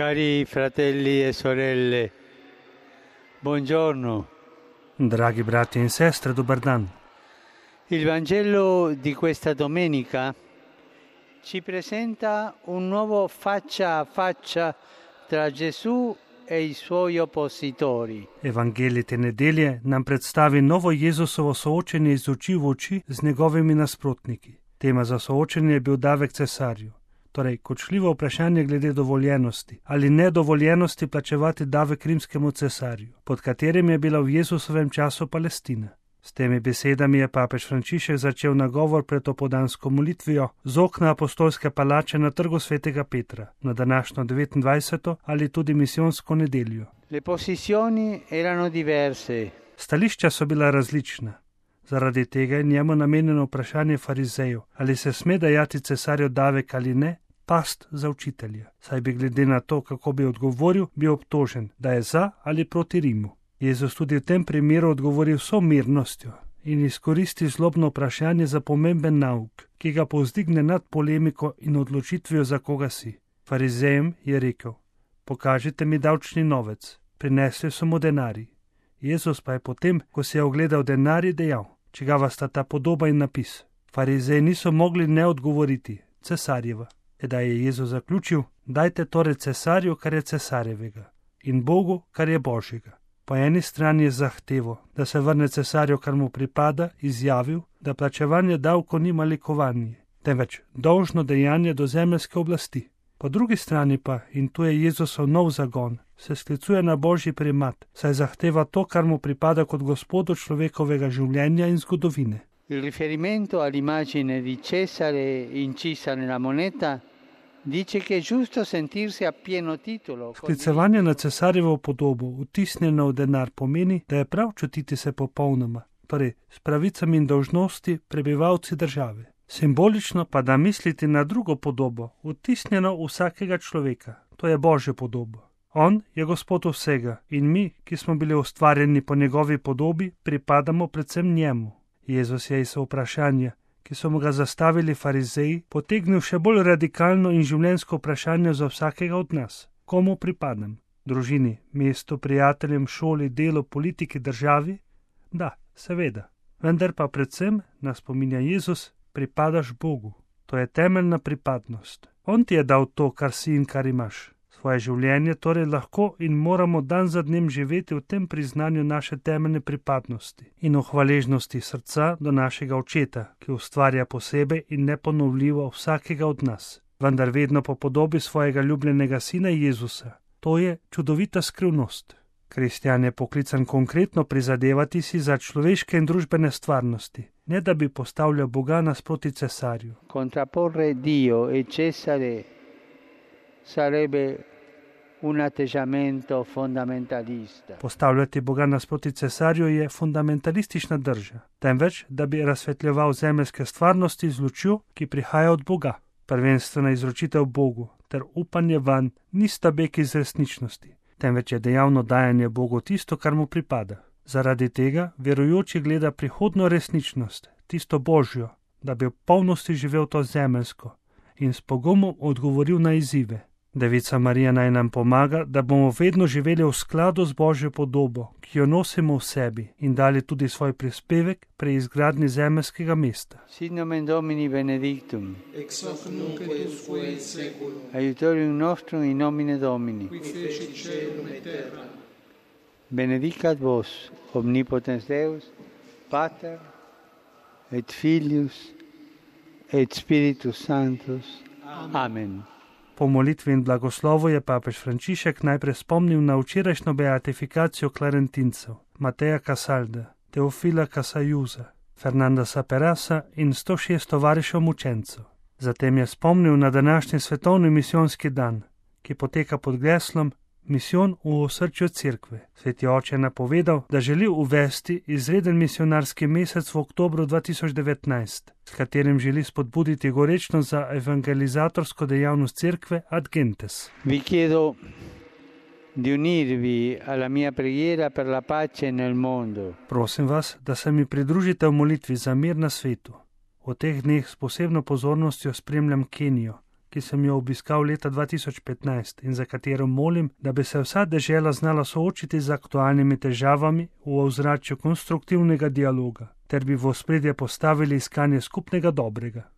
Cari fratelli e sorelle, buongiorno. Dragi brati in sestre, dobar dan. Il Vangelo di questa domenica ci presenta un nuovo faccia a faccia tra Gesù e i suoi oppositori. Evangelij te nedelje nam predstavi novo Jezusovo soočenje iz oči v oči z njegovimi nasprotniki. Tema za soočenje je bil davek cesarju. Torej, kočljivo vprašanje glede dovoljenosti ali nedovoljenosti plačevati davek rimskemu cesarju, pod katerim je bila v Jezusovem času Palestina. S temi besedami je papež Frančišek začel nagovor pred opoldansko molitvijo z okna apostolske palače na trgu svetega Petra, na današnjo 29. ali tudi misijonsko nedeljo. Le posizioni erano diverse. Stališča so bila različna. Zaradi tega je njemu namenjeno vprašanje farizejev, ali se sme dajati cesarju davek ali ne, past za učitelja. Saj bi glede na to, kako bi odgovoril, bil obtožen, da je za ali proti Rimu. Jezus tudi v tem primeru odgovori vso mirnostjo in izkoristi zlobno vprašanje za pomemben nauk, ki ga povzdigne nad polemiko in odločitvijo, za koga si. Farizejem je rekel: pokažite mi davčni novec. Prinesli so mu denarij. Jezus pa je potem, ko si je ogledal denarij, dejal: čigava sta ta podoba in napis. Farizeji niso mogli ne odgovoriti: cesarjeva. Tedaj je Jezus zaključil: dajte torej cesarju, kar je cesarjevega, in Bogu, kar je Božjega. Po eni strani je zahtevo, da se vrne cesarju, kar mu pripada, izjavil, da plačevanje davkov ni malikovanje, temveč dolžno dejanje do zemeljske oblasti. Po drugi strani pa, in tu je Jezusov nov zagon, se sklicuje na Božji primat, saj zahteva to, kar mu pripada kot gospodu človekovega življenja in zgodovine. Il riferimento all'immagine di Cesare incisa nella moneta dice che è giusto sentirsi a pieno titolo. Sklicevanje na cesarjevo podobo, vtisnjeno v denar, pomeni, da je prav čutiti se popolnoma, torej s pravicami in dolžnosti prebivalci države. Simbolično pa da misliti na drugo podobo, vtisnjeno v vsakega človeka, to je Božjo podobo. On je gospod vsega in mi, ki smo bili ustvarjeni po njegovi podobi, pripadamo predvsem njemu. Jezus je iz vprašanja, ki so mu ga zastavili farizeji, potegnil še bolj radikalno in življenjsko vprašanje za vsakega od nas. Komu pripadam? Družini, mestu, prijateljem, šoli, delu, politiki, državi? Da, seveda. Vendar pa predvsem, nas spominja Jezus, pripadaš Bogu. To je temeljna pripadnost. On ti je dal to, kar si in kar imaš. Svoje življenje torej lahko in moramo dan za dnem živeti v tem priznanju naše temeljne pripadnosti in v hvaležnosti srca do našega Očeta, ki ustvarja posebej in neponovljivo vsakega od nas, vendar vedno po podobi svojega ljubljenega sina Jezusa. To je čudovita skrivnost. Kristjan je poklican konkretno prizadevati si za človeške in družbene stvarnosti, ne da bi postavljal Boga nasproti cesarju. Contrapporre Dio e Cesare sarebbe un atteggiamento fondamentalista. Postavljati Boga nasproti cesarju je fundamentalistična drža, temveč, da bi razsvetljeval zemeljske stvarnosti z lučjo, ki prihaja od Boga. Prvenstvena izročitev Bogu ter upanje vanj nista beg iz resničnosti, temveč je dejavno dajanje Bogu tisto, kar mu pripada. Zaradi tega verujoči gleda prihodno resničnost, tisto Božjo, da bi v polnosti živel to zemeljsko in s pogumom odgovoril na izzive. Devica Marija naj nam pomaga, da bomo vedno živeli v skladu z Božjo podobo, ki jo nosimo v sebi, in dali tudi svoj prispevek pri izgradnji zemeljskega mesta. Sit nomen Domini benedictum, ex hoc nunc et usque in seculum, aiutorium nostrum in nomine Domini. qui fecit caelum et terra. Benedicat vos, omnipotens Deus, Pater, et Filius, et Spiritus Sanctus. Amen. Po molitvi in blagoslovu je papež Frančišek najprej spomnil na včerajšnjo beatifikacijo klarentincev, Mateja Casalda, Teofila Casajuza, Fernanda Saperasa in 106 tovarišev mučencev. Zatem je spomnil na današnji svetovni misijonski dan, ki poteka pod geslom Misijon v osrčju cerkve. Sveti oče je napovedal, da želi uvesti izreden misionarski mesec v oktobru 2019, s katerim želi spodbuditi gorečno za evangelizatorsko dejavnost cerkve ad gentes. Vi chiedo di unirvi alla mia preghiera per la pace nel mondo. Prosim vas, da se mi pridružite v molitvi za mir na svetu. V teh dneh s posebno pozornostjo spremljam Kenijo, ki sem jo obiskal leta 2015 in za katero molim, da bi se vsa dežela znala soočiti z aktualnimi težavami v ozračju konstruktivnega dialoga, ter bi v ospredje postavili iskanje skupnega dobrega.